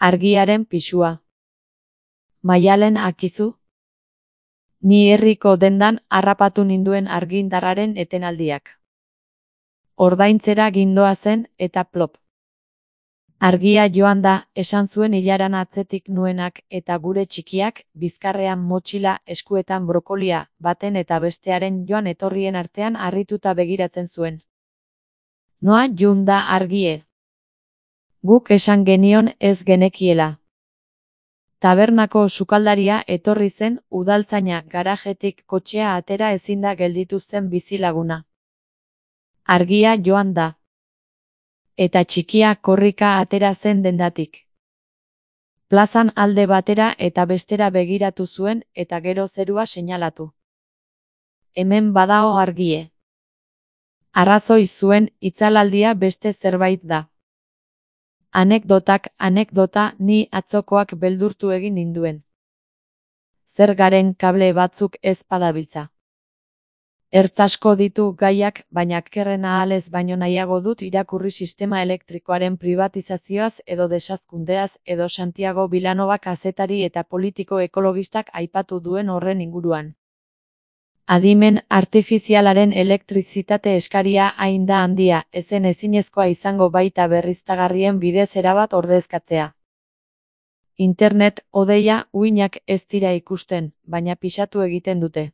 Argiaren pisua. Maialen akizu? Ni herriko dendan harrapatu ninduen argindarraren etenaldiak. Ordaintzera gindoazen eta plop. Argia joan da, esan zuen ilaran atzetik nuenak eta gure txikiak, bizkarrean motxila, eskuetan brokolia, baten eta bestearen joan etorrien artean harrituta begiratzen zuen. Noa jun da argie. Guk esan genion ez genekiela. Tabernako sukaldaria etorri zen, udaltzaina garajetik kotxea atera ezinda gelditu zen bizilaguna. Argia joan da. Eta txikia korrika atera zen dendatik. Plazan alde batera eta bestera begiratu zuen eta gero zerua seinalatu. Hemen badao argie. Arrazoi zuen, itzalaldia beste zerbait da. Anekdota ni atzokoak beldurtu egin ninduen. Zer garen kable batzuk ez padabiltza. Ertz asko ditu gaiak, baina kerrena ahalez baino nahiago dut irakurri sistema elektrikoaren privatizazioaz edo desazkundeaz edo Santiago Vilanova kazetari eta politiko ekologistak aipatu duen horren inguruan. Adimen artifizialaren elektrizitate eskaria hain da handia, ezen ezinezkoa izango baita berriztagarrien bidez erabat ordezkatzea. Internet, odeia, uhinak ez dira ikusten, baina pisatu egiten dute.